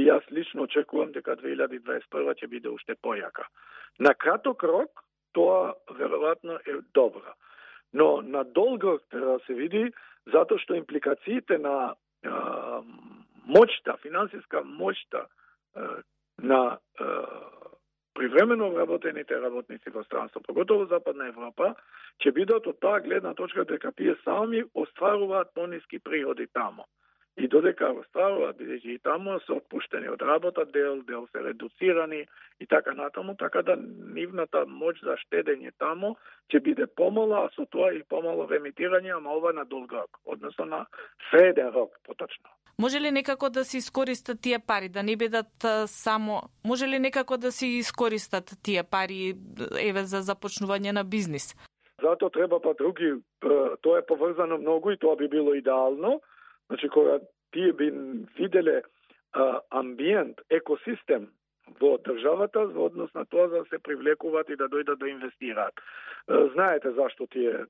јас лично очекувам дека 2021 ќе биде уште појака. На краток рок тоа веројатно е добро. Но на долг рок треба да се види, затоа што импликациите на моќта, финансиска моќта на привремено вработените работници во странство, поготово Западна Европа, ќе бидат од таа гледна точка дека тие сами остваруваат пониски приходи тамо. И додека остваруваат, бидејќи и тамо се отпуштени од работа, дел се редуцирани и така натаму, така да нивната моќ за штедење тамо ќе биде помала, а со тоа и помало емитирање, ама ова на долг рок, односно на среден рок, поточно. Може ли некако да се искористат тие пари, да не бидат само... Може ли некако да се искористат тие пари за започнување на бизнис? Затоа треба други, тоа е поврзано многу и тоа би било идеално. Значи, кога тие би виделе амбиент, екосистем во државата, во однос на тоа да се привлекуваат и да дојдат да инвестираат. Знаете зашто тие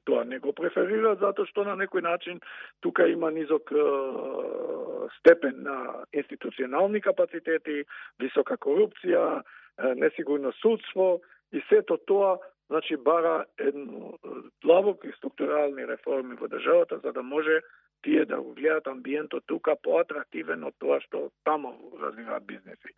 тоа не го преферираат, затоа што на некој начин тука има низок степен на институционални капацитети, висока корупција, несигурно судство и сето тоа, значи, бара едно длабоки структурални реформи во државата, за да може тие да го гледаат амбиентот тука поатрактивен од тоа што тамо развиваат бизнеси.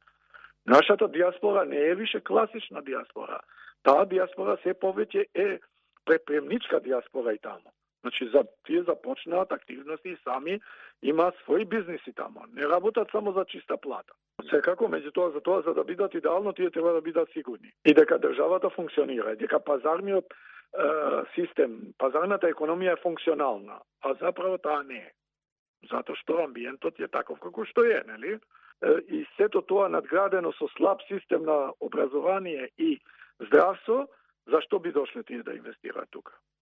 Нашата диаспора не е више класична диаспора. Таа диаспора се повеќе е предприемничка диаспора и тамо. Значи, тие започнаат активности и сами имаат своји бизнеси тамо. Не работат само за чиста плата. Секако, меѓутоа, за да бидат идеално, тие треба да бидат сигурни. И дека државата функционира, дека пазарниот систем, пазарната економија е функционална, а заправо таа не е. Затоа што амбиентот е таков како што е, нели? И сето тоа надградено со слаб систем на образование и здравство, зашто би дошле тие да инвестираат тука?